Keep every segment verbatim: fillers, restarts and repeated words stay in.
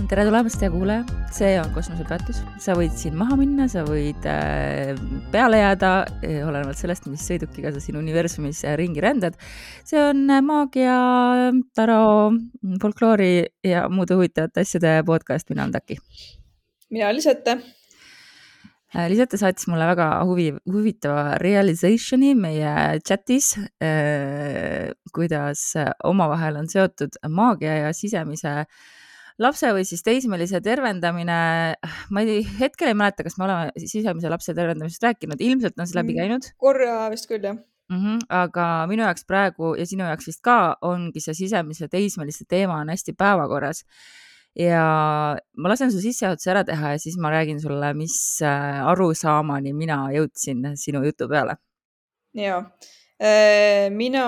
tere tulemast, hea kuulaja. See on kosmosepeatus. Sa võid siin maha minna, sa võid äh, peale jääda, olenevalt sellest, mis sõidukiga sa siin universumis ringi rändad. See on maagia, taro, folkloori ja muude huvitavate asjade podcast. Mina on Taki. Mina Lisette. Lisette saatis mulle väga huvi, huvitava realizationi meie chatis, äh, kuidas omavahel on seotud maagia ja sisemise lapse või siis teismelise tervendamine. Ma ei, hetkel ei mäleta, kas me oleme sisemise lapse tervendamisest rääkinud. Ilmselt on see läbi käinud. Korra vist küll, jah. Mm-hmm, aga minu jaoks praegu ja sinu jaoks vist ka ongi see sisemise teismeliste teema on hästi päevakorras. Ja ma lasen su sissejuhatuse ära teha ja siis ma räägin sulle, mis arusaamani mina jõudsin sinu jutu peale. Ja, mina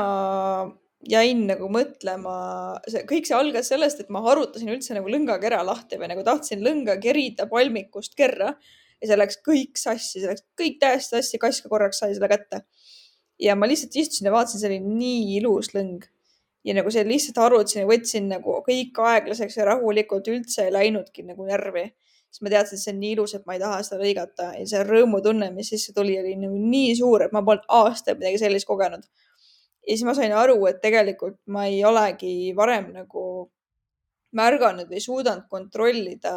jäin nagu mõtlema, see, kõik see algas sellest, et ma harutasin üldse nagu lõngakera lahti või nagu tahtsin lõnga kerida palmikust kerra ja see läks kõik sassi, see läks kõik täiesti sassi, kass ka korraks sai selle kätte. Ja ma lihtsalt istusin ja vaatasin, see oli nii ilus lõng. Ja nagu see lihtsalt harutasin ja võtsin nagu kõik aeglaseks ja rahulikult üldse ei läinudki nagu närvi. Siis ma teadsin, et see on nii ilus, et ma ei taha seda lõigata. Ja see rõõmutunne, mis sisse tuli, oli nagu nii suur, et ma polnud aastaid midagi sellist kogenud. Ja siis ma sain aru, et tegelikult ma ei olegi varem nagu märganud või suudanud kontrollida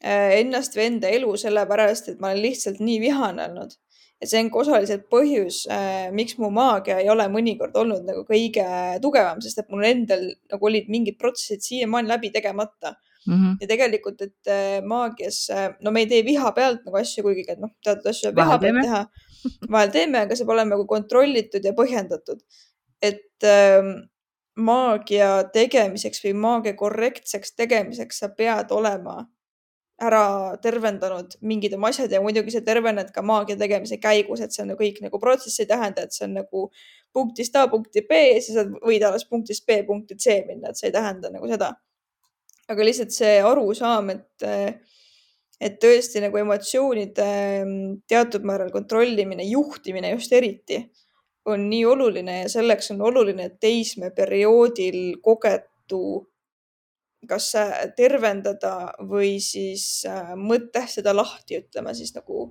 ennast või enda elu sellepärast, et ma olen lihtsalt nii vihane olnud. Ja see on osaliselt põhjus, miks mu maagia ei ole mõnikord olnud nagu kõige tugevam, sest et mul endal nagu olid mingid protsessid siiamaani läbi tegemata. Mm-hmm. Ja tegelikult, et maagias, no me ei tee viha pealt nagu asju, kuigi et noh, teatud asju viha pealt teha. Vahel teeme, aga see pole nagu kontrollitud ja põhjendatud. Et ähm, maagia tegemiseks või maagia korrektseks tegemiseks sa pead olema ära tervendanud mingid oma asjad ja muidugi see tervened ka maagia tegemise käigus, et see on kõik nagu protsess ei tähenda, et see on nagu punktist A punkti B ja siis sa võid alles punktist B punkti C minna, et see ei tähenda nagu seda. Aga lihtsalt see arusaam, et, et tõesti nagu emotsioonide teatud määral kontrollimine, juhtimine just eriti on nii oluline ja selleks on oluline, et teisme perioodil kogetu kas tervendada või siis mõtestada lahti, ütleme siis nagu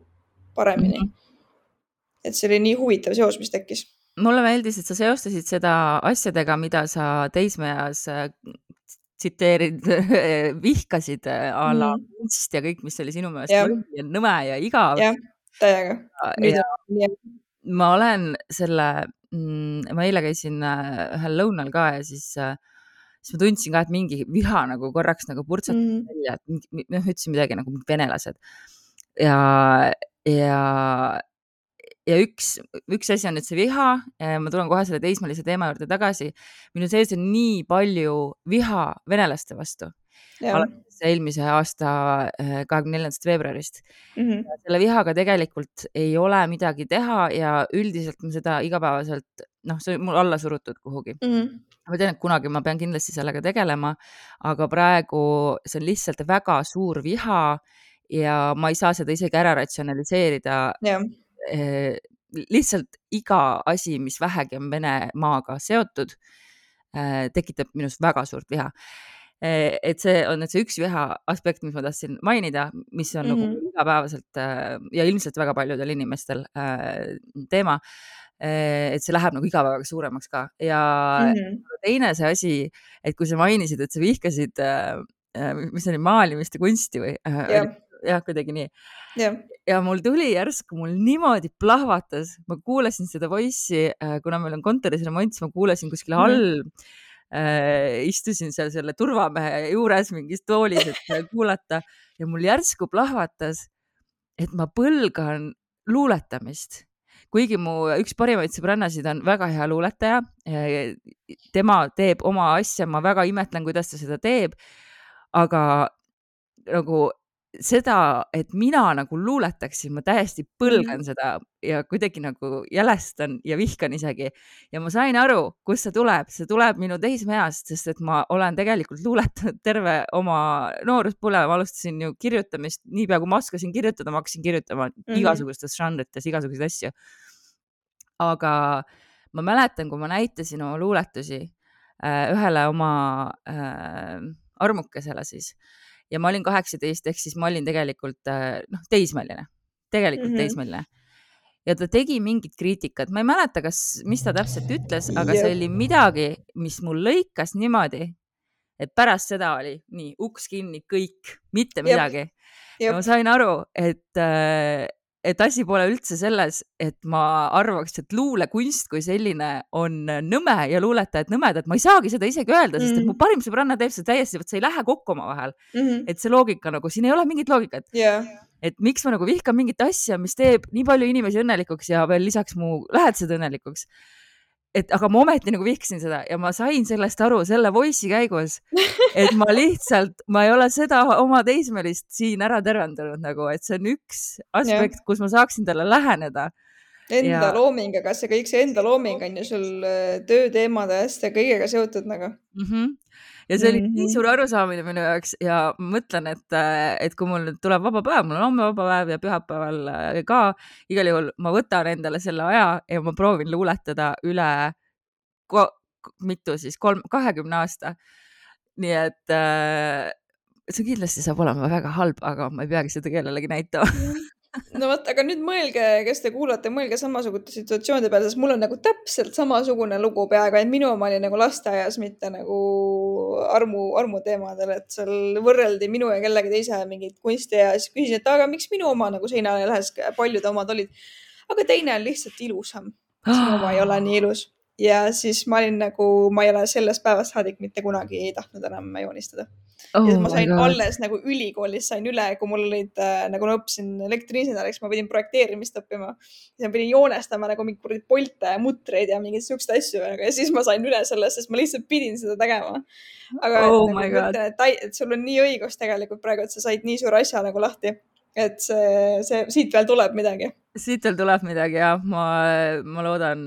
paremini. Mm-hmm. Et see oli nii huvitav seos, mis tekkis. Mulle meeldis, et sa seostasid seda asjadega, mida sa teismeas tsiteerid, vihkasid a la kunst ja kõik, mis oli sinu meelest ja. ja nõme ja igav. Jah, täiega. Ja, ja ma olen selle, ma eile käisin ühel lõunal ka ja siis siis ma tundsin ka, et mingi viha nagu korraks nagu purtsatas mm. välja, et noh, ütlesin midagi nagu venelased. Ja, ja, ja üks, üks asi on nüüd see viha, ma tulen kohe selle teismelise teema juurde tagasi. Minu sees on nii palju viha venelaste vastu. Alates eelmise aasta kahekümne neljandast veebruarist. Mm-hmm. Ja selle vihaga tegelikult ei ole midagi teha ja üldiselt ma seda igapäevaselt, noh, see on mul alla surutud kuhugi. Mm-hmm. Ma tean, et kunagi ma pean kindlasti sellega tegelema, aga praegu see on lihtsalt väga suur viha ja ma ei saa seda isegi ära ratsionaliseerida. Yeah. Lihtsalt iga asi, mis vähegi on Venemaaga seotud, tekitab minust väga suurt viha. Et see on nüüd see üks viha aspekt, mis ma tahtsin mainida, mis on mm-hmm. nagu igapäevaselt ja ilmselt väga paljudel inimestel teema, et see läheb nagu iga päevaga suuremaks ka. Ja mm-hmm. teine see asi, et kui sa mainisid, et sa vihkasid, mis oli maalimist ja kunsti või yeah. jah, kuidagi nii. Yeah. Ja mul tuli järsku, mul niimoodi plahvatas, ma kuulasin seda voice'i, kuna meil on kontoris remont, siis ma kuulasin kuskil mm-hmm. all, äh, istusin seal selle turvamehe juures mingis toolis, et kuulata ja mul järsku plahvatas, et ma põlgan luuletamist. Kuigi mu üks parimaid sõbrannasid on väga hea luuletaja, tema teeb oma asja, ma väga imetlen, kuidas ta seda teeb, aga nagu seda, et mina nagu luuletaksin, ma täiesti põlgan mm. seda ja kuidagi nagu jälestan ja vihkan isegi. Ja ma sain aru, kus see tuleb. See tuleb minu teismeast, sest et ma olen tegelikult luuletanud terve oma nooruspõlve. Ma alustasin ju kirjutamist, niipea kui ma oskasin kirjutada, ma hakkasin kirjutama mm-hmm. igasugustes žanrites, igasuguseid asju. Aga ma mäletan, kui ma näitasin oma luuletusi äh, ühele oma äh, armukesele siis ja ma olin kaheksateist, ehk siis ma olin tegelikult noh, teismeline, tegelikult mm -hmm. teismeline. Ja ta tegi mingit kriitikat, ma ei mäleta, kas, mis ta täpselt ütles, aga see oli midagi, mis mul lõikas niimoodi, et pärast seda oli nii, uks kinni, kõik, mitte midagi. Ja ma sain aru, et, et asi pole üldse selles, et ma arvaks, et luulekunst kui selline on nõme ja luuletajad nõmedad. Ma ei saagi seda isegi öelda, sest et mu parim sõbranna teeb seda täiesti, et see ei lähe kokku oma vahel. Mm -hmm. Et see loogika nagu, siin ei ole mingit loogikat. Yeah. Et miks ma nagu vihkan mingit asja, mis teeb nii palju inimesi õnnelikuks ja veel lisaks mu lähedased õnnelikuks. Et aga ma ometi nagu vihkasin seda ja ma sain sellest aru selle voice'i käigus, et ma lihtsalt, ma ei ole seda oma teismelist siin ära tervendanud nagu, et see on üks aspekt, yeah. kus ma saaksin talle läheneda. Enda ja... looming, aga see kõik see enda looming on ju sul tööteemade hästi ja kõigega seotud nagu. Mm -hmm. Ja see oli mm -hmm. nii suur arusaamine minu jaoks ja ma mõtlen, et, et kui mul tuleb vaba päev, mul on homme vaba päev ja pühapäeval ka, igal juhul ma võtan endale selle aja ja ma proovin luuletada üle ko, mitu siis, kolm, kahekümne aasta. Nii et see kindlasti saab olema väga halb, aga ma ei peagi seda kellelegi näitama. No vot, aga nüüd mõelge, kes te kuulate, mõelge samasugute situatsioonide peale, sest mul on nagu täpselt samasugune lugu peaaegu, et minu oma oli nagu lasteaias, mitte nagu armu, armu teemadel, et seal võrreldi minu ja kellegi teise mingit kunsti ja siis küsisin, et aga miks minu oma nagu seinale ei lähes, paljud omad olid, aga teine on lihtsalt ilusam. Sinu oma ei ole nii ilus. Ja siis ma olin nagu, ma ei ole sellest päevast saadik mitte kunagi ei tahtnud enam joonistada. Oh ja ma sain alles nagu ülikoolis sain üle, kui mul olid, nagu ma õppisin elektriinseneriks, ma pidin projekteerimist õppima. Ja ma pidin joonestama nagu mingi polte ja mutreid ja mingeid sükste asju. Ja siis ma sain üle sellest, sest ma lihtsalt pidin seda tegema. Aga oh et, nagu, mõtlen, et, et sul on nii õigus tegelikult praegu, et sa said nii suur asja nagu lahti. Et see, see, siit veel tuleb midagi. Siit veel tuleb midagi ja ma, ma loodan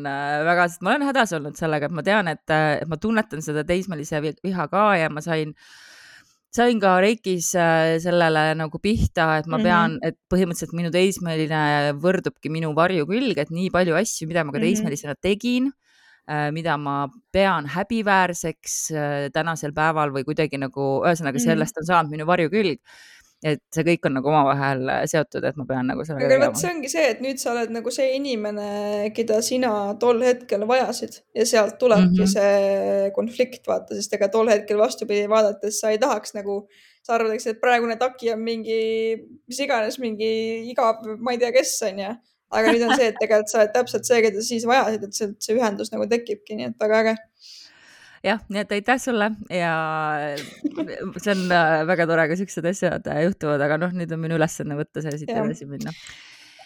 väga, sest ma olen hädas olnud sellega, et ma tean, et, et ma tunnetan seda teismelise viha ka ja ma sain sain ka Reikis sellele nagu pihta, et ma pean, mm -hmm. et põhimõtteliselt minu teismeline võrdubki minu varjukülg, et nii palju asju, mida ma ka teismelisena tegin, mida ma pean häbiväärseks tänasel päeval või kuidagi nagu, ühesõnaga sellest on saanud minu varjukülg. Et see kõik on nagu omavahel seotud, et ma pean nagu sellega tegema. Aga see ongi see, et nüüd sa oled nagu see inimene, keda sina tol hetkel vajasid ja sealt tulebki mm -hmm. see konflikt, vaata, sest ega tol hetkel vastupidi vaadates sa ei tahaks nagu, sa arvadaks, et praegune taki on mingi, mis iganes, mingi igav, ma ei tea, kes on ja, aga nüüd on see, et tegelikult sa oled täpselt see, keda siis vajasid, et see, see ühendus nagu tekibki, nii et väga äge. Jah, nii et aitäh sulle ja see on väga tore, kui siuksed asjad juhtuvad, aga noh, nüüd on minu ülesanne võtta see siit edasi minna.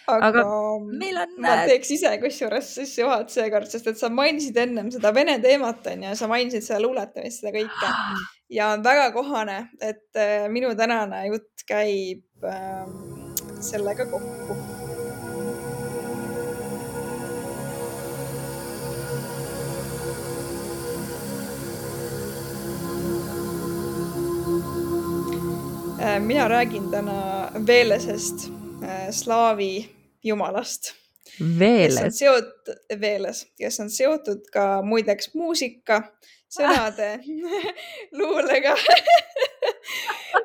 Aga, aga meil on... ma teeks ise kusjuures sisse juhat seekord, sest et sa mainisid ennem seda vene teemat on ja sa mainisid seda luuletamist, seda kõike ja on väga kohane, et minu tänane jutt käib äh, sellega kokku. Mina räägin täna Velesest, slaavi jumalast. Veeles? Seotud, Veeles, kes on seotud ka muideks muusika, sõnade, luulega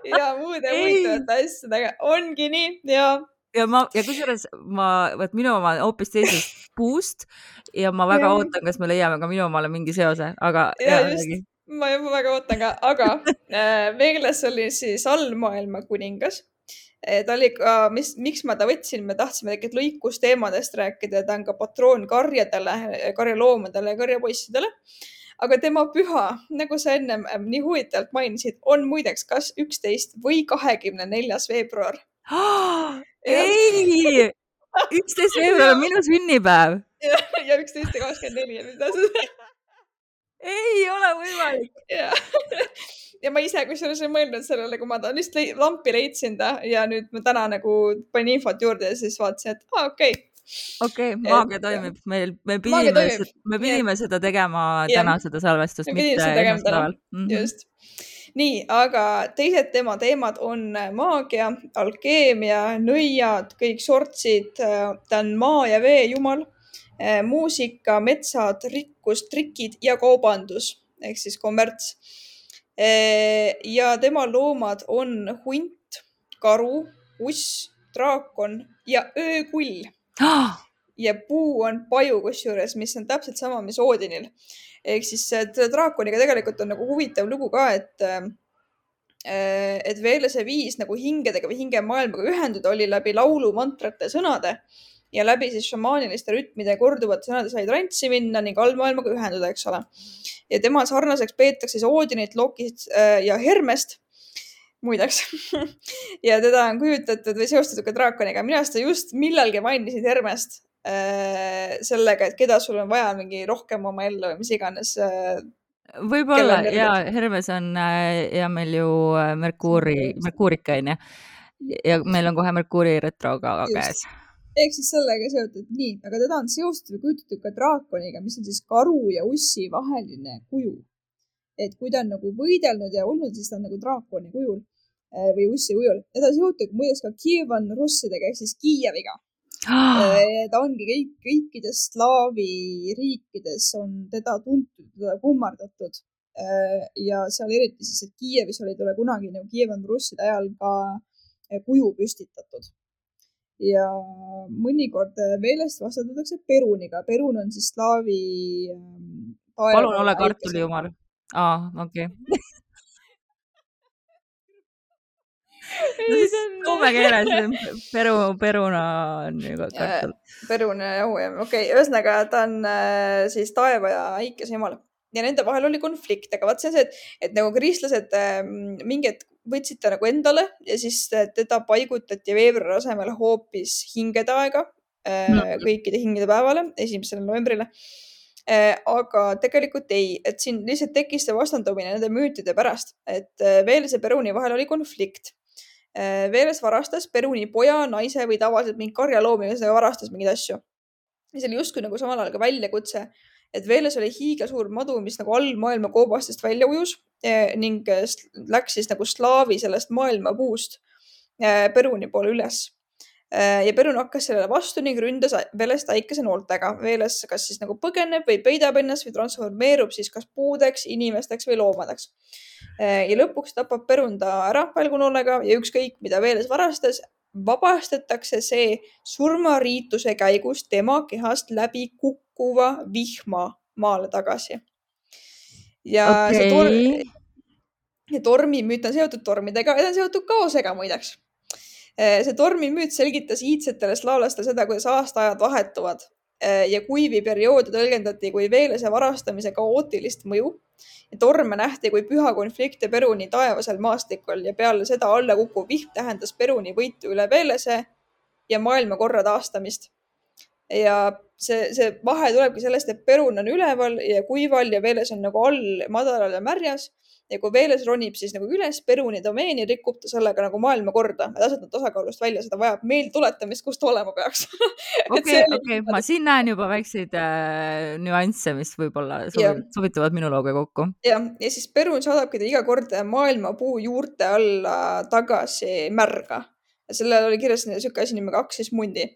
ja muude muidavate asjadega. Ongi nii ja... Ja, ma, ja kusjuures ma, võt minu oma hoopis teisest puust ja ma väga ja. ootan, kas me leiame ka minu omale mingi seose, aga... Ja, ja just. Ma juba väga ootan ka, aga äh, Veeles oli siis allmaailma kuningas. Ta oli ka, mis, miks ma ta võtsin, me tahtsime tegelikult lõikusteemadest rääkida, ta on ka patroon karjadele, karjaloomadele ja karjapoissidele. Aga tema püha, nagu sa ennem nii huvitavalt mainisid, on muideks kas üksteist või kahekümne neljas veebruar. Oh, ei, üksteist veebruar on minu sünnipäev. Ja, ja üksteist ja kakskümmend neli. Mida sa... Ei ole võimalik. Ja, ja ma ise, kui selles ei mõelnud sellele, kui ma ta lihtsalt lampi leidsin ta ja nüüd ma täna nagu panin infot juurde ja siis vaatasin, et aa, okei. Okay. Okei, okay, maagia toimib. Meil, me pidime, seda, me pidime seda tegema täna, seda salvestust, mitte esmaspäeval. Mm-hmm. Just. Nii, aga teised tema teemad on maagia, alkeemia, nõiad, kõik sortsid, ta on maa ja vee jumal. Muusika, metsad, rikkus, trikid ja kaubandus ehk siis kommerts. ja tema loomad on hunt, karu, uss, draakon ja öökull. Ja puu on paju kusjuures, mis on täpselt sama, mis Oodinil. Ehk siis draakoniga tegelikult on nagu huvitav lugu ka, et et Veelese viis nagu hingedega või hingemaailmaga ühenduda oli läbi laulu, mantrate, sõnade ja läbi siis šamaaniliste rütmide korduvate sõnade sai trantsi minna ning allmaailmaga ühenduda, eks ole. Ja tema sarnaseks peetakse siis Oodinit, Lokit ja Hermest muideks. Ja teda on kujutatud või seostatud ka draakoniga. Mina seda just millalgi mainisid Hermest sellega, et keda sul on vaja mingi rohkem oma ellu või mis iganes. Võib-olla, ja Hermes on ja meil ju Merkuuri, Merkuurika on ja. Ja meil on kohe Merkuuri retroga käes. Ehk siis sellega seotud nii, aga teda on seostatud või kujutatud ka draakoniga, mis on siis karu ja ussi vaheline kuju. Et kui ta on nagu võidelnud ja olnud, siis ta on nagu draakoni kujul või ussi kujul. Ja ta seotud muides ka Kievan russidega ehk siis Kiieviga. Ta ongi kõik, kõikides slaavi riikides on teda tuntud, teda kummardatud. Ja seal eriti siis, et Kiievis oli talle kunagi nagu Kievan russide ajal ka kuju püstitatud. Ja mõnikord Veelest vastandatakse Peruniga. Perun on siis slaavi... Palun ole kartuli jumal. Aa, okei. Okay. No siis kumme keeles peru, peruna on ju kartul. Peruna jahu, jah. Okei, okay. Ühesõnaga ta on siis taeva ja äikese jumal. Ja nende vahel oli konflikt, aga vaat see on see, et, et nagu kristlased mingid võtsid ta nagu endale ja siis teda paigutati veebruari asemel hoopis hingede aega kõikide hingede päevale, esimesele novembrile. Aga tegelikult ei, et siin lihtsalt tekkis see vastandumine nende müütide pärast, et Veelese Peruni vahel oli konflikt. Veeles varastas Peruni poja, naise või tavaliselt mingi karjaloomi, kes varastas mingeid asju. Ja see oli justkui nagu samal ajal ka väljakutse, et Veeles oli hiiga suur madu, mis nagu all maailma koobastest välja ujus ning läks siis nagu slaavi sellest maailma puust Peruni poole üles. Ja Perun hakkas sellele vastu ning ründas Veelest äikese nooltega. Veeles kas siis nagu põgeneb või peidab ennast või transformeerub siis kas puudeks, inimesteks või loomadeks. Ja lõpuks tapab Perun ta ära välgunoolega ja ükskõik, mida Veeles varastas, vabastatakse see surmariituse käigus tema kehast läbi kukkuva vihma maale tagasi. Ja okay. See tor tormimüüt on seotud tormidega ja ta on seotud kaosega muideks. See tormimüüt selgitas iidsetele slaavlastele seda, kuidas aastaajad vahetuvad ja kuivi perioodi tõlgendati kui Veelese varastamise kaootilist mõju. Ja torme nähti kui püha konflikte Peruni taevasel maastikul ja peale seda alla kukkuv vihm tähendas Peruni võitu üle Veelese ja maailmakorra taastamist. Ja see, see vahe tulebki sellest, et Perun on üleval ja kuival ja Veeles on nagu all madalal ja märjas. Ja kui Veeles ronib siis nagu üles Peruni domeeni, rikub ta sellega nagu maailma korda. Et asjad on tasakaalust välja, seda vajab meil tuletamist, kust olema peaks. Okei, okei. Ma siin näen juba väikseid äh, nüansse, mis võib-olla sobit, sobituvad minu looga kokku. Ja, ja siis Perun saadabki ta iga kord maailma puu juurte alla tagasi märga. Ja sellel oli kirjas siuke asi nimega Aksis mundi.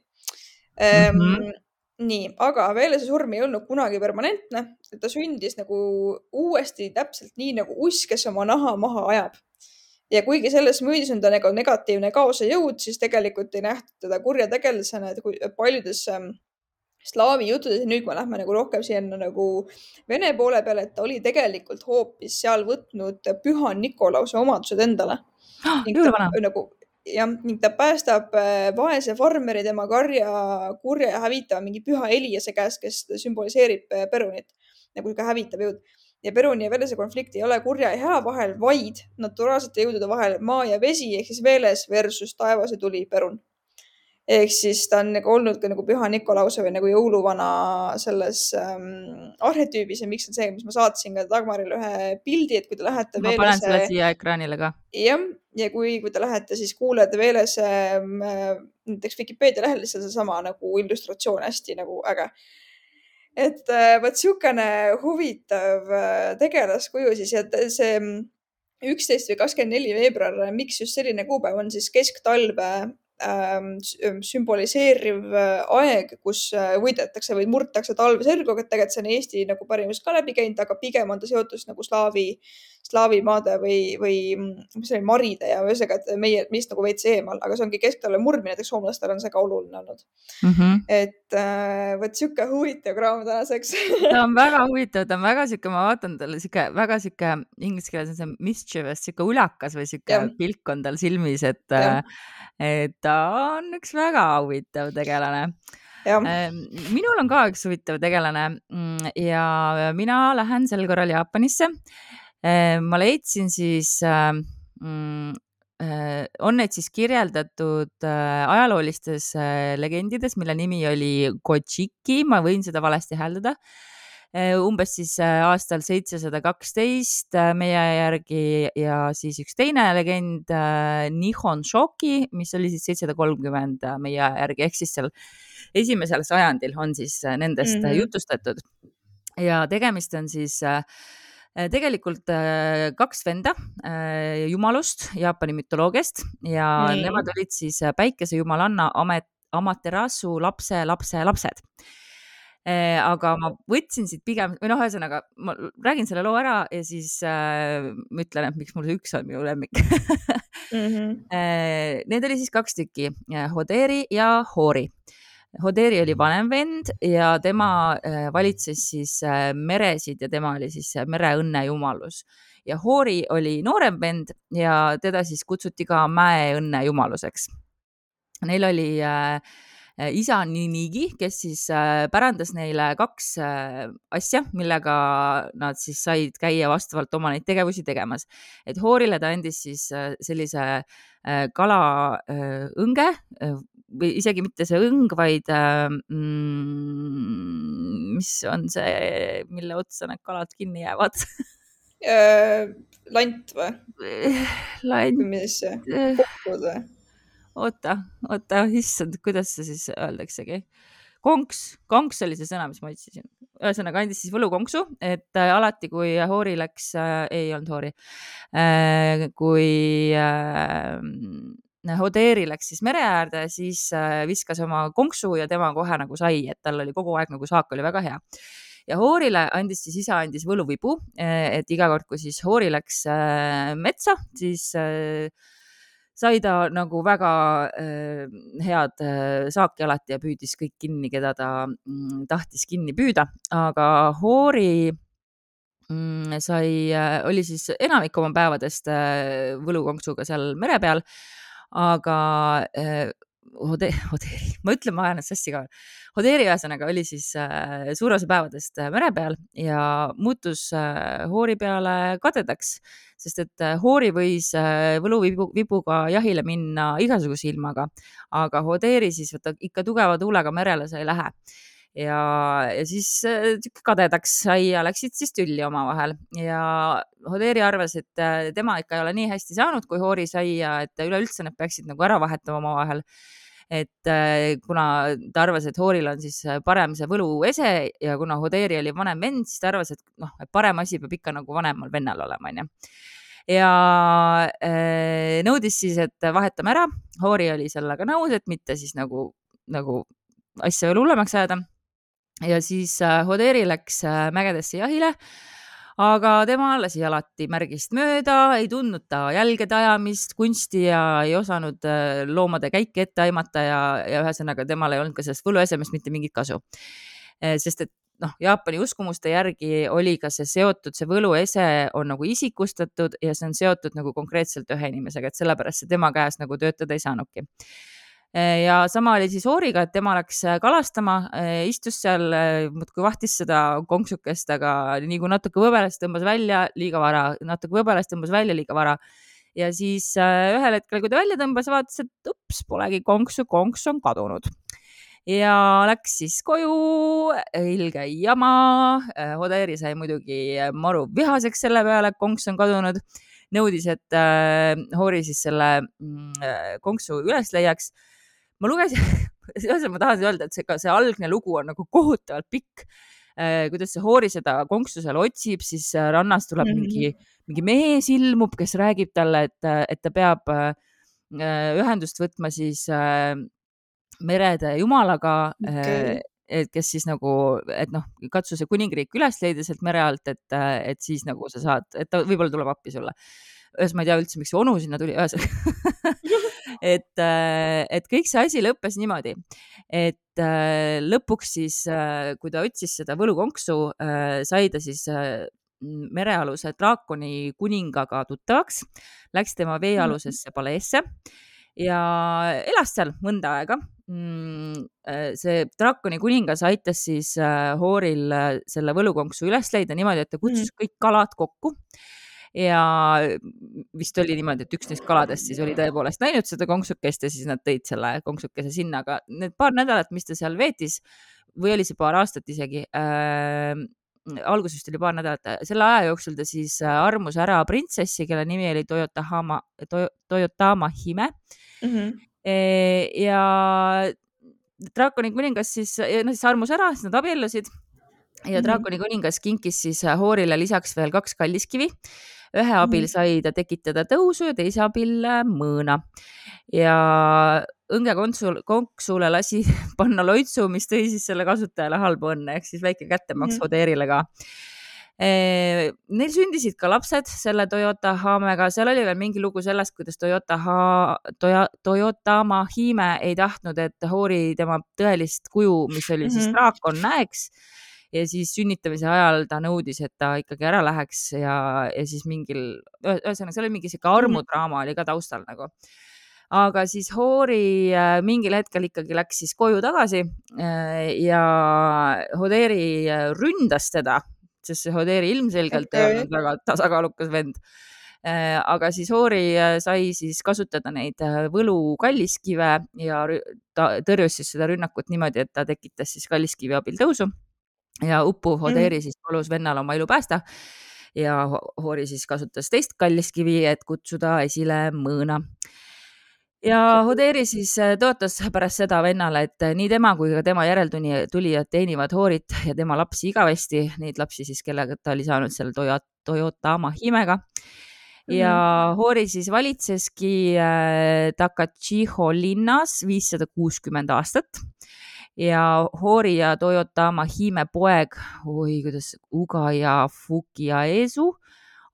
Mm -hmm. Nii, aga Veelese surm ei olnud kunagi permanentne, et ta sündis nagu uuesti täpselt nii nagu uss, kes oma naha maha ajab. Ja kuigi selles müüdis on ta nagu negatiivne kaose jõud, siis tegelikult ei nähtud teda kurja tegelasena, et kui paljudes ähm, slaavi juttudes, nüüd me lähme nagu rohkem siia nagu Vene poole peale, et ta oli tegelikult hoopis seal võtnud püha Nikolause omadused endale. Jõuluvana. Nagu ja ning ta päästab vaese farmeri tema karja, kurja ja hävitava mingi püha Eliase käest, kes sümboliseerib Perunit nagu ka hävitav jõud. Ja Peruni ja Veelese konflikt ei ole kurja ja hea vahel, vaid naturaalsete jõudude vahel maa ja vesi ehk siis Veeles versus taevase tuli Perun. Ehk siis ta on nagu olnud ka nagu püha Nikolause või nagu jõuluvana selles ähm, arhetüübis ja miks on see, mis ma saatsin ka Dagmarile ühe pildi, et kui te lähete ma Veelese... Ma panen selle siia ekraanile ka. Jah, ja kui, kui te lähete, siis kuulete Veelese äh, näiteks Wikipedia lehel lihtsalt seesama nagu illustratsioon hästi nagu äge. Et äh, võt siukene huvitav äh, tegelaskuju siis, et see üksteist või kakskümmend neli veebruar, miks just selline kuupäev on siis kesktalve sümboliseeriv aeg, kus võidetakse või murtakse talve selguga, et tegelikult see on Eesti nagu pärimus ka läbi käinud, aga pigem on ta seotud nagu slaavi slaavimaade või, või mis oli maride ja ühesõnaga, et meie, meist nagu veits eemal, aga see ongi kesktalve murdmine, näiteks soomlastel on see ka oluline olnud. mm. -hmm. et äh, võt siuke huvitav kraam tänaseks. ta on väga huvitav, ta on väga siuke, ma vaatan talle siuke, väga siuke inglise keeles on see mischievous, siuke ulakas või siuke ja. pilk on tal silmis, et, et ta on üks väga huvitav tegelane. Ja. Minul on ka üks huvitav tegelane ja mina lähen sel korral Jaapanisse. Ma leidsin siis mm, on need siis kirjeldatud ajaloolistes legendides, mille nimi oli Kojiki, ma võin seda valesti hääldada, umbes siis aastal seitsesada kaksteist meie järgi ja siis üks teine legend Nihon Shoki, mis oli siis seitsesada kolmkümmend meie järgi, ehk siis seal esimesel sajandil on siis nendest mm-hmm. jutustatud ja tegemist on siis tegelikult kaks venda jumalust Jaapani mütoloogiast ja mm. nemad olid siis päikesejumalanna Amaterasu lapse lapse lapsed. Aga ma võtsin siit pigem, või noh, ühesõnaga, ma räägin selle loo ära ja siis äh, ütlen, et miks mul see üks on minu lemmik. mm-hmm. Need oli siis kaks tükki, Hoderi ja Hori. Hoderi oli vanem vend ja tema valitses siis meresid ja tema oli siis mereõnne jumalus. Ja Hori oli noorem vend ja teda siis kutsuti ka mäeõnne jumaluseks. Neil oli äh, isa Ninigi, kes siis äh, pärandas neile kaks äh, asja, millega nad siis said käia vastavalt oma neid tegevusi tegemas. Et Horile ta andis siis äh, sellise äh, kala äh, õnge, äh, või isegi mitte see õng, vaid mm, mis on see, mille otsa need kalad kinni jäävad? Lant või? Lant. Mis see? Kokkud või? Oota, oota, issand, kuidas see siis öeldaksegi? Konks, konks oli see sõna, mis ma otsisin. Ühesõnaga andis siis võlukonksu, et äh, alati kui Hori läks, äh, ei olnud Hori, äh, kui äh, Hoderi läks siis mere äärde, siis viskas oma konksu ja tema kohe nagu sai, et tal oli kogu aeg nagu saak oli väga hea. Ja Horile andis siis isa andis võluvibu, et iga kord, kui siis Hori läks metsa, siis sai ta nagu väga head saaki alati ja püüdis kõik kinni, keda ta tahtis kinni püüda, aga Hori sai, oli siis enamik oma päevadest võlukonksuga seal mere peal, aga äh, Hoderi, Hoderi, ma ütlen, ma ajan sassi ka. Hoderi ühesõnaga oli siis äh, suur osa päevadest mere peal ja muutus äh, Hori peale kadedaks, sest et äh, Hori võis äh, võluvibuga jahile minna igasuguse ilmaga, aga Hoderi siis võtta ikka tugeva tuulega merele sai lähe. Ja, ja siis äh, kadedaks sai ja läksid siis tülli omavahel ja Hoderi arvas, et äh, tema ikka ei ole nii hästi saanud, kui Hori sai ja et üleüldse need peaksid nagu ära vahetama omavahel. Et äh, kuna ta arvas, et Horil on siis parem see võluese ja kuna Hoderi oli vanem vend, siis ta arvas, et noh, et parem asi peab ikka nagu vanemal vennal olema, onju. Ja äh, nõudis siis, et vahetame ära. Hori oli sellega nõus, et mitte siis nagu, nagu asja veel hullemaks ajada. Ja siis Hoderi läks mägedesse jahile, aga tema lasi alati märgist mööda, ei tundnud ta jälgede ajamist, kunsti ja ei osanud loomade käike ette aimata ja, ja ühesõnaga temal ei olnud ka sellest võluesemest mitte mingit kasu. Sest et noh, Jaapani uskumuste järgi oli ka see seotud, see võluese on nagu isikustatud ja see on seotud nagu konkreetselt ühe inimesega, et sellepärast see tema käes nagu töötada ei saanudki. Ja sama oli siis Horiga, et tema läks kalastama, istus seal, muudkui vahtis seda konksukest, aga nii kui natuke võbeles tõmbas välja, liiga vara, natuke võbeles tõmbas välja, liiga vara. Ja siis ühel hetkel, kui ta välja tõmbas, vaatas, et ups, polegi konksu, konks on kadunud. Ja läks siis koju, ilge jama, Hoderi sai muidugi maru vihaseks selle peale, konks on kadunud. Nõudis, et Hori siis selle konksu üles leiaks. Ma lugesin, ma tahan öelda, et see, see algne lugu on nagu kohutavalt pikk, kuidas see Hori seda konksu seal otsib, siis rannas tuleb mm-hmm. mingi, mingi mees ilmub, kes räägib talle, et, et ta peab ühendust võtma siis merede jumalaga okay., et kes siis nagu, et noh, katsu see kuningriik üles leida sealt mere alt, et, et siis nagu sa saad, et ta võib-olla tuleb appi sulle. Ühes ma ei tea üldse, miks see onu sinna tuli, ühesõnaga et, et kõik see asi lõppes niimoodi, et lõpuks siis, kui ta otsis seda võlukonksu, sai ta siis merealuse draakoni kuningaga tuttavaks, läks tema veealusesse paleesse ja elas seal mõnda aega. See draakoni kuningas aitas siis Hooril selle võlukonksu üles leida niimoodi, et ta kutsus kõik kalad kokku. Ja vist oli niimoodi, et üks neist kaladest siis oli tõepoolest näinud seda konksukest ja siis nad tõid selle konksukese sinna, aga need paar nädalat, mis ta seal veetis, või oli see paar aastat isegi, äh, algusest oli paar nädalat, selle aja jooksul ta siis armus ära printsessi, kelle nimi oli Toyotama, Toyotama Hime. Mm-hmm. Ja draakoni kuningas siis, no siis armus ära, siis nad abiellusid ja draakoni kuningas kinkis siis Hoorile lisaks veel kaks kalliskivi. Ühe abil sai ta tekitada tõusu ja teise abil mõõna. Ja õnge konksule lasi panna loitsu, mis tõi siis selle kasutajale halbu õnne, ehk siis väike kättemaks Hodeerile ka. Neil sündisid ka lapsed selle Toyota Hamega, seal oli veel mingi lugu sellest, kuidas Toyota ha, Toya, Toyotama Hime ei tahtnud, et Hoori tema tõelist kuju, mis oli siis draakon, näeks. Ja siis sünnitamise ajal ta nõudis, et ta ikkagi ära läheks ja, ja siis mingil, ühesõnaga, see oli mingi siuke armudraama oli ka taustal nagu. Aga siis Hoori mingil hetkel ikkagi läks siis koju tagasi ja Hodeeri ründas teda, sest see Hodeeri ilmselgelt okay. ei olnud väga tasakaalukas vend. Aga siis Hoori sai siis kasutada neid võlu kalliskive ja ta tõrjus siis seda rünnakut niimoodi, et ta tekitas siis kalliskivi abil tõusu. Ja uppuv Hodeeri siis palus vennal oma elu päästa ja Hoori siis kasutas teist kalliskivi, et kutsuda esile mõõna. Ja Hodeeri siis tõotas pärast seda vennale, et nii tema kui ka tema järeltulijad teenivad Hoorit ja tema lapsi igavesti, neid lapsi siis, kellega ta oli saanud selle Toyotama Himega. Ja Hoori siis valitseski Takachiho linnas viissada kuuskümmend aastat. Ja Hoori ja Toyotama Hime poeg, oi, kuidas Uga ja Fukiaesu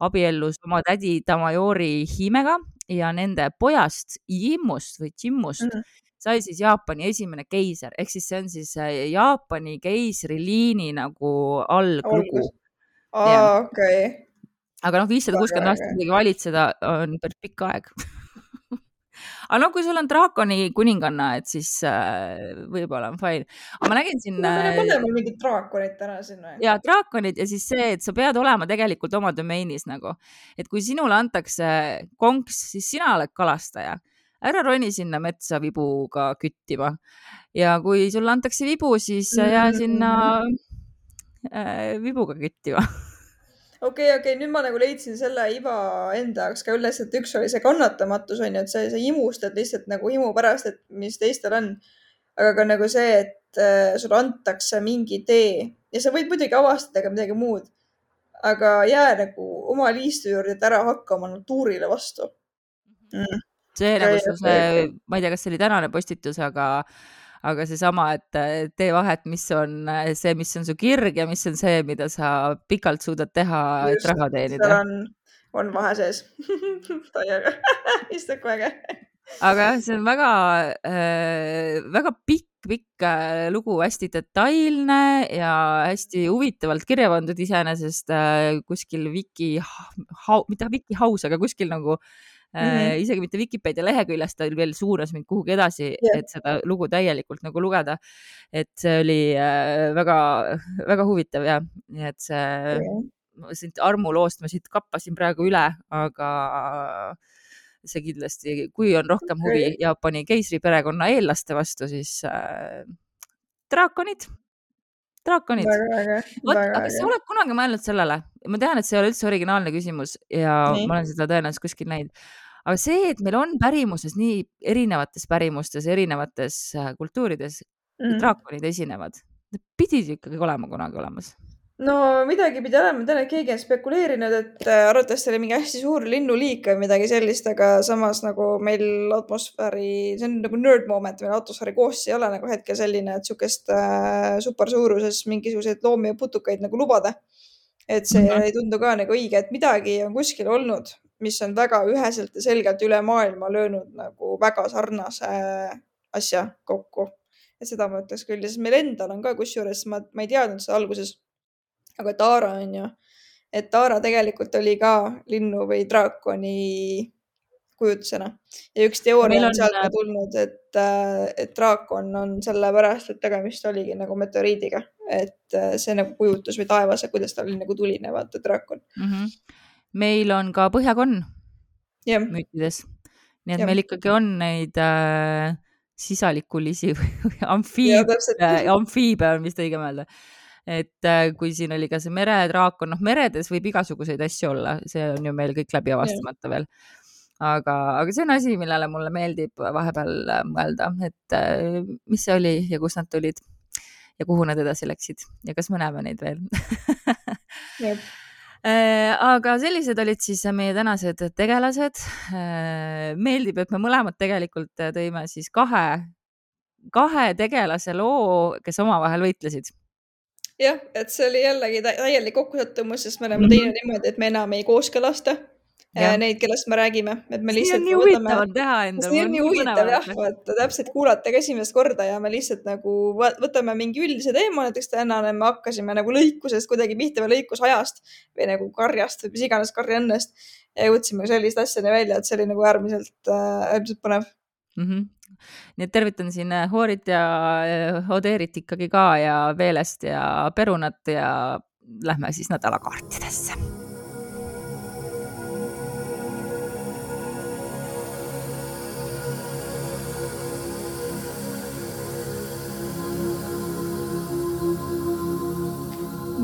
abiellus oma tädi Tamayori Himega ja nende pojast Jimmust või Jimmust mm. sai siis Jaapani esimene keiser, ehk siis see on siis Jaapani keisriliini nagu alglugu. Aa, okei. Aga noh, viissada kuuskümmend aastat midagi valitseda on päris pikk aeg. Aga no, kui sul on draakoni kuninganna, et siis äh, võib-olla on fine. Aga ma nägin siin... No, me paneme mingid draakonid täna sinna. Ja draakonid ja siis see, et sa pead olema tegelikult oma domeenis nagu. Et kui sinule antakse konks, siis sina oled kalastaja. Ära roni sinna metsa vibuga küttima. Ja kui sulle antakse vibu, siis jää sinna äh, vibuga küttima. Okei, okay, okei, okay. Nüüd ma nagu leidsin selle iva enda jaoks ka üles, et üks oli see kannatamatus on ju, et see, see imustad lihtsalt nagu imu pärast, et mis teistel on. Aga ka nagu see, et äh, sulle antakse mingi tee ja sa võid muidugi avastada ka midagi muud, aga jää nagu oma liistu juurde, et ära hakka oma natuurile vastu. Mm. See okay, nagu see, okay. Ma ei tea, kas see oli tänane postitus, aga aga see sama, et tee vahet, mis on see, mis on su kirg ja mis on see, mida sa pikalt suudad teha, just, et raha teenida. Seal on, on vahe sees. Taiaga. Istud kohe. Aga see on väga, äh, väga pikk, pikk lugu, hästi detailne ja hästi huvitavalt kirja pandud iseenesest äh, kuskil Wiki, hau, mitte Wiki haus, aga kuskil nagu Mm-hmm. isegi mitte Wikipedia leheküljest, ta veel suunas mind kuhugi edasi, yeah. et seda lugu täielikult nagu lugeda. Et see oli väga, väga huvitav ja nii, et see yeah. armuloost ma siit kappasin praegu üle, aga see kindlasti, kui on rohkem huvi okay. Jaapani keisri perekonna eellaste vastu, siis äh, draakonid. Draakonid. Võt, aga sa oled kunagi mõelnud sellele, ma tean, et see ei ole üldse originaalne küsimus ja nii. Ma olen seda tõenäoliselt kuskil näinud. Aga see, et meil on pärimuses nii erinevates pärimustes, erinevates kultuurides mm. draakonid esinevad, need pidid ikkagi olema kunagi olemas. no midagi pidi olema, ma tean, et keegi on spekuleerinud, et äh, arvatavasti oli mingi hästi suur linnuliik või midagi sellist, aga samas nagu meil atmosfääri, see on nagu nerd moment, meil atmosfääri koostis ei ole nagu hetkel selline, et sihukest äh, supersuuruses mingisuguseid loomi ja putukaid nagu lubada. et see Mhm. ei tundu ka nagu õige, et midagi on kuskil olnud, mis on väga üheselt ja selgelt üle maailma löönud nagu väga sarnase asja kokku. et seda ma ütleks küll ja siis meil endal on ka kusjuures, ma, ma ei teadnud seda alguses, aga Taara on ju, et Taara tegelikult oli ka linnu või draakoni kujutusena ja üks teooria meil on on, sealt ka tulnud, et, äh, et draakon on sellepärast, et tegemist oligi nagu meteoriidiga, et äh, see nagu kujutus või taevas ja kuidas ta oli nagu tuline, vaata draakon. mm -hmm. meil on ka põhjakonn jah, müütides. Nii et jah, meil ikkagi on neid äh, sisalikulisi või ja amfiib, täpselt. amfiibe on vist õige mõelda. Et äh, kui siin oli ka see meredraakon, noh meredes võib igasuguseid asju olla, see on ju meil kõik läbi avastamata veel. Aga, aga see on asi, millele mulle meeldib vahepeal äh, mõelda, et äh, mis see oli ja kust nad tulid ja kuhu nad edasi läksid ja kas me näeme neid veel. Jep. Äh, aga sellised olid siis meie tänased tegelased. Meeldib, et me mõlemad tegelikult tõime siis kahe, kahe tegelase loo, kes omavahel võitlesid. jah, et see oli jällegi täielik kokkusattumus, sest me oleme Mhm. teinud niimoodi, et me enam ei kooskõlasta Jah. neid, kellest me räägime, et me See lihtsalt on nii võtame. huvitav on teha endal, see mul on on nii nii huvitav põnev jah, vaadata. vaata täpselt kuulata ka esimest korda ja me lihtsalt nagu võ- võtame mingi üldise teema, näiteks tänane me hakkasime nagu lõikusest kuidagi pihta või lõikusajast või nagu karjast või mis iganes karjannest ja jõudsime sellist asjani välja, et see oli nagu äärmiselt, äh, äärmiselt põnev. Mhm. Nii et tervitan siin äh, Hoorit ja äh, Odeerit ikkagi ka ja Veelest ja Perunat ja lähme siis nädalakaartidesse.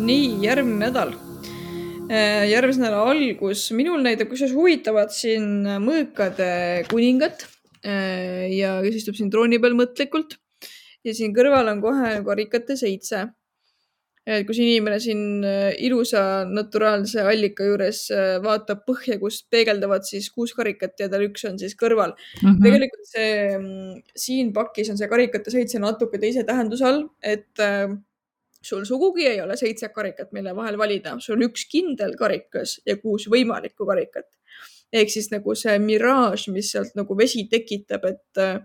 nii, järgmine nädal. Äh, järgmise nädala algus, minul näitab kusjuures huvitavat siin mõõkade kuningat äh, ja kes istub siin trooni peal mõtlikult ja siin kõrval on kohe karikate seitse. et kus inimene siin äh, ilusa naturaalse allika juures äh, vaatab põhja, kus peegeldavad siis kuus karikat ja tal üks on siis kõrval. Mhm. tegelikult see mm, siin pakis on see karikate seitse natuke teise tähenduse all, et äh, sul sugugi ei ole seitse karikat, mille vahel valida, sul on üks kindel karikas ja kuus võimalikku karikat. ehk siis nagu see miraaž, mis sealt nagu vesi tekitab, et äh,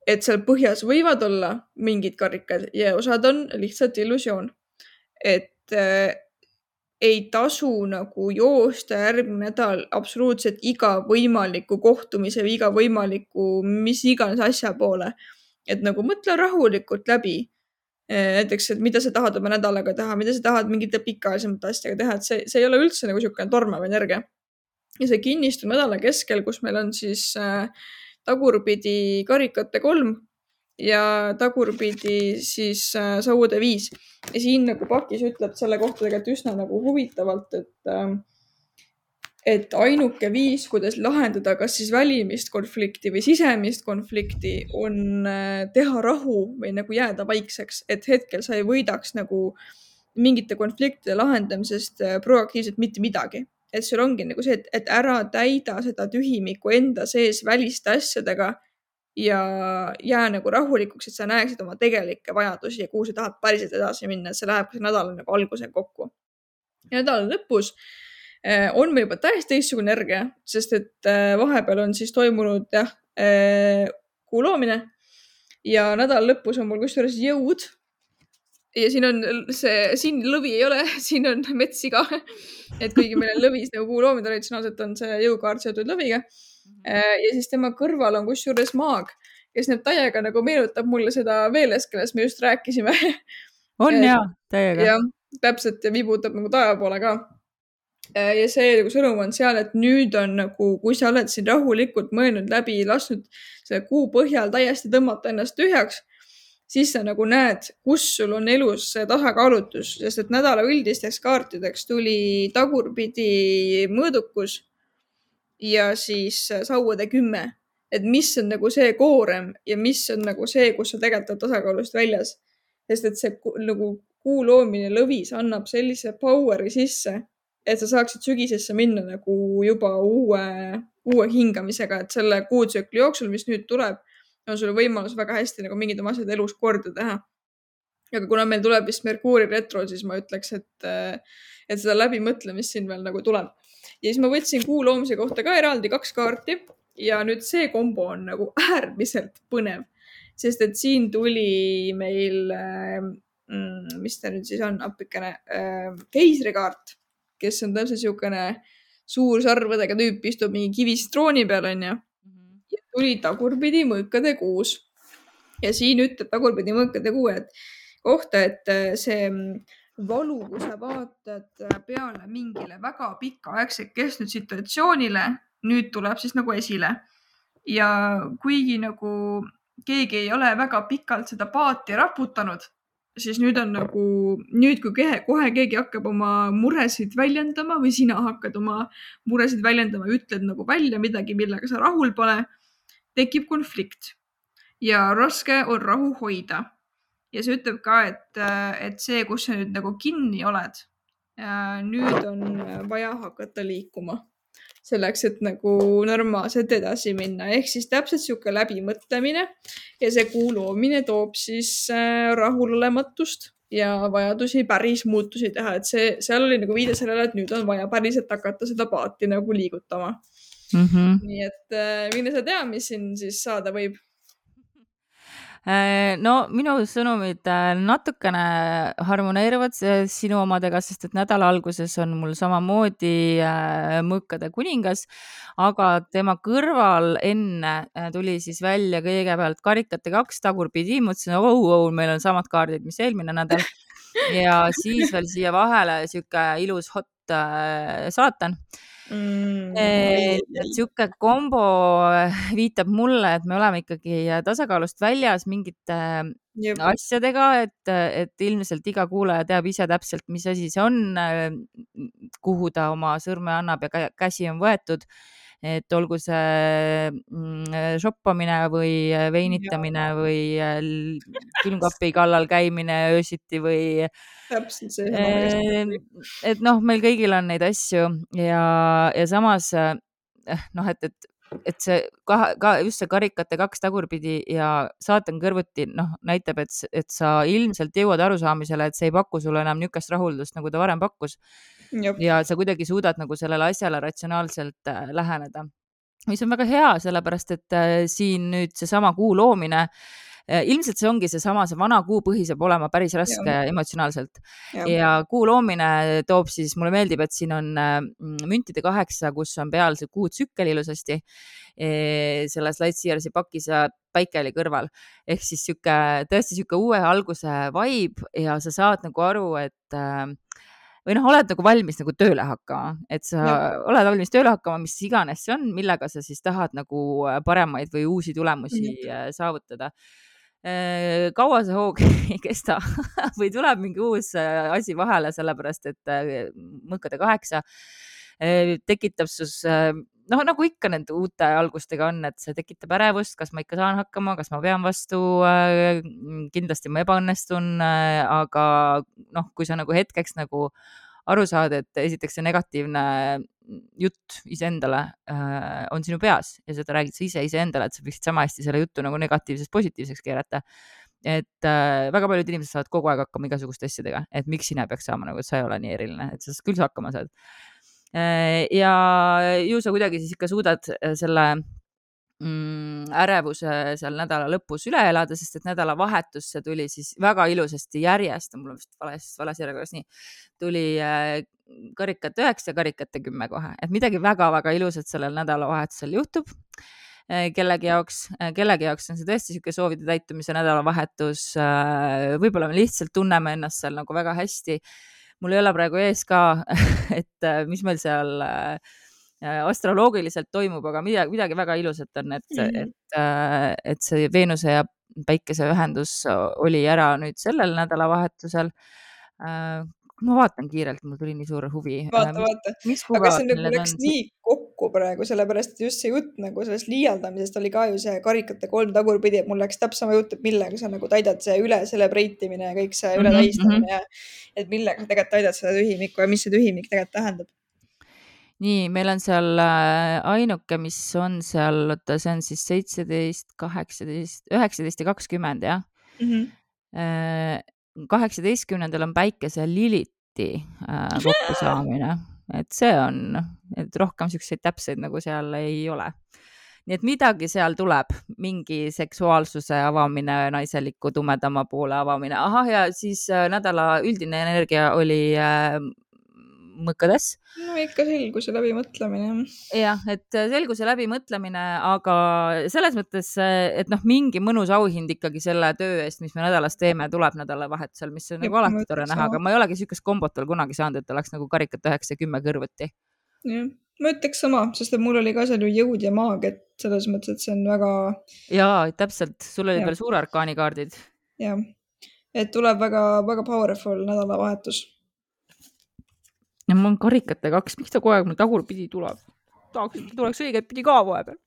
et seal põhjas võivad olla mingid karikad ja osad on lihtsalt illusioon. et äh, ei tasu nagu joosta järgmine nädal absoluutselt iga võimaliku kohtumise või iga võimaliku mis iganes asja poole. et nagu mõtle rahulikult läbi. näiteks, et mida sa tahad oma nädalaga teha, mida sa tahad mingite pikaajalisemate asjadega teha, et see, see ei ole üldse nagu niisugune tormav energia. ja see kinnistu nädala keskel, kus meil on siis äh, tagurpidi karikate kolm ja tagurpidi siis äh, sauade viis. ja siin nagu pakis ütleb selle kohta tegelikult üsna nagu huvitavalt, et äh, et ainuke viis, kuidas lahendada kas siis välimist konflikti või sisemist konflikti, on äh, teha rahu või nagu jääda vaikseks, et hetkel sa ei võidaks nagu mingite konfliktide lahendamisest äh, proaktiivselt mitte midagi. et sul ongi nagu see, et, et ära täida seda tühimikku enda sees väliste asjadega ja jää nagu rahulikuks, et sa näeksid oma tegelikke vajadusi ja kuhu sa tahad päriselt edasi minna, et see läheb ka nädala nagu alguse kokku. ja nädala lõpus äh, on meil juba täiesti teistsugune energia, sest et äh, vahepeal on siis toimunud jah, äh, kuu loomine ja nädala lõpus on mul kusjuures jõud. ja siin on see, siin lõvi ei ole, siin on metssiga. et kuigi meil on lõvis nagu kuu loomine, traditsionaalselt on see jõukaart seotud lõviga. ja siis tema kõrval on kusjuures maag, kes nüüd täiega nagu meenutab mulle seda Veelest, kellest me just rääkisime. on ja, täiega. jah, täpselt ja vibutab nagu taeva poole ka. ja see nagu sõnum on seal, et nüüd on nagu, kui sa oled siin rahulikult mõelnud läbi, lasknud selle kuu põhjal täiesti tõmmata ennast tühjaks, siis sa nagu näed, kus sul on elus see tasakaalutus, sest et nädala üldisteks kaartideks tuli tagurpidi mõõdukus ja siis sauade kümme. et mis on nagu see koorem ja mis on nagu see, kus sa tegelikult oled tasakaalust väljas. sest et see nagu kuu loomine lõvis annab sellise power'i sisse, et sa saaksid sügisesse minna nagu juba uue, uue hingamisega, et selle kuutsükli jooksul, mis nüüd tuleb, on sul võimalus väga hästi nagu mingid oma asjad elus korda teha. Aga kuna meil tuleb vist Merkuuri retro, siis ma ütleks, et, et seda läbimõtlemist siin veel nagu tuleb. Ja siis ma võtsin kuu loomise kohta ka eraldi kaks kaarti ja nüüd see kombo on nagu äärmiselt põnev, sest et siin tuli meil, mis ta nüüd siis on, appikene, keisrikaart, kes on täpselt siukene suur sarvedega tüüp, istub mingi kivist trooni peal, on ja. Ja tuli tagurpidi mõõkade kuus. Ja siin ütleb tagurpidi mõõkade kuu, et kohta, et see valu, kui sa vaatad peale mingile väga pikaaegselt kestnud situatsioonile, nüüd tuleb siis nagu esile. Ja kuigi nagu keegi ei ole väga pikalt seda paati raputanud, siis nüüd on nagu, nüüd kui kehe, kohe keegi hakkab oma muresid väljendama või sina hakkad oma muresid väljendama, ütled nagu välja midagi, millega sa rahul pole, tekib konflikt ja raske on rahu hoida. Ja see ütleb ka, et, et see, kus sa nüüd nagu kinni oled, nüüd on vaja hakata liikuma selleks, et nagu normaalselt edasi minna. Ehk siis täpselt siuke läbimõtlemine ja see kuu loomine toob siis rahulolematust ja vajadusi päris muutusi teha. Et see, seal oli nagu viide sellele, et nüüd on vaja päriselt hakata seda paati nagu liigutama. Mm-hmm. Nii et mine sa tea, mis siin siis saada võib? No minu sõnumid natukene harmoneeruvad sinu omadega, sest et nädala alguses on mul samamoodi mõõkade kuningas, aga tema kõrval enne tuli siis välja kõigepealt karikate kaks tagurpidi, mõtlesin, oh, oh, meil on samad kaardid, mis eelmine nädal ja siis veel siia vahele siuke ilus hot saatan. Mm, et siuke kombo viitab mulle, et me oleme ikkagi tasakaalust väljas mingite Jep. asjadega, et, et ilmselt iga kuulaja teab ise täpselt, mis asi see on, kuhu ta oma sõrme annab ja käsi on võetud. Et olgu see shoppamine või veinitamine ja. Või külmkapi kallal käimine öösiti või täpselt see. Et noh, meil kõigil on neid asju ja, ja samas noh, et, et, et see ka, ka just see karikate kaks tagurpidi ja saatan kõrvuti noh, näitab, et, et sa ilmselt jõuad arusaamisele, et see ei paku sulle enam niukest rahuldust, nagu ta varem pakkus. Jop. Ja sa kuidagi suudad nagu sellele asjale ratsionaalselt läheneda, mis on väga hea, sellepärast et siin nüüd seesama kuu loomine, ilmselt see ongi seesama, see vana kuu põhi saab olema päris raske ja. Emotsionaalselt ja. Ja kuu loomine toob siis, mulle meeldib, et siin on müntide kaheksa, kus on peal see kuu tsükkel ilusasti selles Lightseersi pakis ja päike oli kõrval. Ehk siis siuke, tõesti siuke uue alguse vibe ja sa saad nagu aru, et või noh, oled nagu valmis nagu tööle hakkama, et sa ja. Oled valmis tööle hakkama, mis iganes see on, millega sa siis tahad nagu paremaid või uusi tulemusi ja. Saavutada. Kaua see hoog ei kesta või tuleb mingi uus asi vahele, sellepärast et mõõkade kaheksa tekitab sus, noh, nagu ikka nende uute algustega on, et see tekitab ärevust, kas ma ikka saan hakkama, kas ma pean vastu, kindlasti ma ebaõnnestun, aga noh, kui sa nagu hetkeks nagu aru saad, et esiteks see negatiivne jutt iseendale äh, on sinu peas ja seda räägid sa ise iseendale, et sa võiksid sama hästi selle juttu nagu negatiivsest positiivseks keerata. Et äh, väga paljud inimesed saavad kogu aeg hakkama igasuguste asjadega, et miks sina peaks saama, nagu, et sa ei ole nii eriline, et sa küll sa hakkama saad. Äh, ja ju sa kuidagi siis ikka suudad selle mm, ärevuse seal nädala lõpus üle elada, sest et nädala vahetusse tuli siis väga ilusasti järjest, mul on vist vales, vales järjekorras nii, tuli äh, karikate üheksa ja karikate kümme kohe, et midagi väga-väga ilusat sellel nädalavahetusel juhtub äh, kellegi jaoks, äh, kellegi jaoks on see tõesti siuke soovide täitumise nädalavahetus, äh, võib-olla me lihtsalt tunneme ennast seal nagu väga hästi. Mul ei ole praegu ees ka, et äh, mis meil seal äh, astroloogiliselt toimub, aga midagi, midagi väga ilusat on, et, mm-hmm. et, et see Veenuse ja Päikese ühendus oli ära nüüd sellel nädalavahetusel. ma vaatan kiirelt, mul tuli nii suur huvi. Vaata, vaata. Mis Aga kuupäevad see nagu meil läks on? nii kokku praegu, sellepärast et just see jutt nagu sellest liialdamisest oli ka ju see karikate kolm tagurpidi, et mul läks täpselt sama jutt, et millega sa nagu täidad see üle celebreitimine ja kõik see üle tähistamine ja et millega sa tegelikult täidad seda tühimikku ja mis see tühimik tegelikult tähendab. Nii, meil on seal ainuke, mis on seal, oota, see on siis seitseteist, kaheksateist, üheksateist ja kakskümmend, jah. Mm -hmm. kaheksateistkümnendal on Päikese ja Liliti kokkusaamine, et see on, et rohkem siukseid täpseid nagu seal ei ole. Nii et midagi seal tuleb, mingi seksuaalsuse avamine, naiseliku tumedama poole avamine. Ahah, ja siis nädala üldine energia oli mõkkades. No ikka selgus ja läbimõtlemine. Jah, et selgus ja läbimõtlemine, aga selles mõttes, et noh, mingi mõnus auhind ikkagi selle töö eest, mis me nädalas teeme, tuleb nädalavahetusel, mis on nagu alati tore näha, aga ma ei olegi sükest kombot veel kunagi saanud, et oleks nagu karikat üheksa ja kümme kõrvuti. Jah, ma ütleks sama, sest et mul oli ka seal ju jõud ja maag, et selles mõttes, et see on väga... Jaa, täpselt, sul oli veel suure arkaani kaardid. Jah, et tuleb väga, väga powerful nädalavahetus. Ja mul on karikate kaks, miks ta kogu aeg mul tagurpidi tuleb? Tahaks, et tuleks õiget pidi ka vahepeal.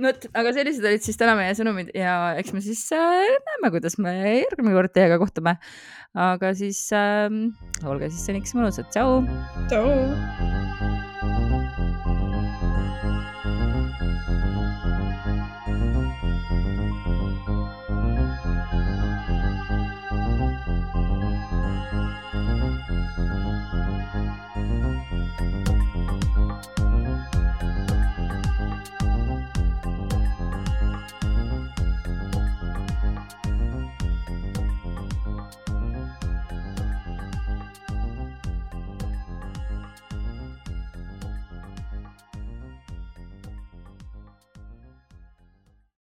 Not, aga sellised olid siis täna meie sõnumid ja eks me siis äh, näeme, kuidas me järgmine kord teiega kohtume. Aga siis äh, olge siis seniks mõnusad. Tšau! Tšau!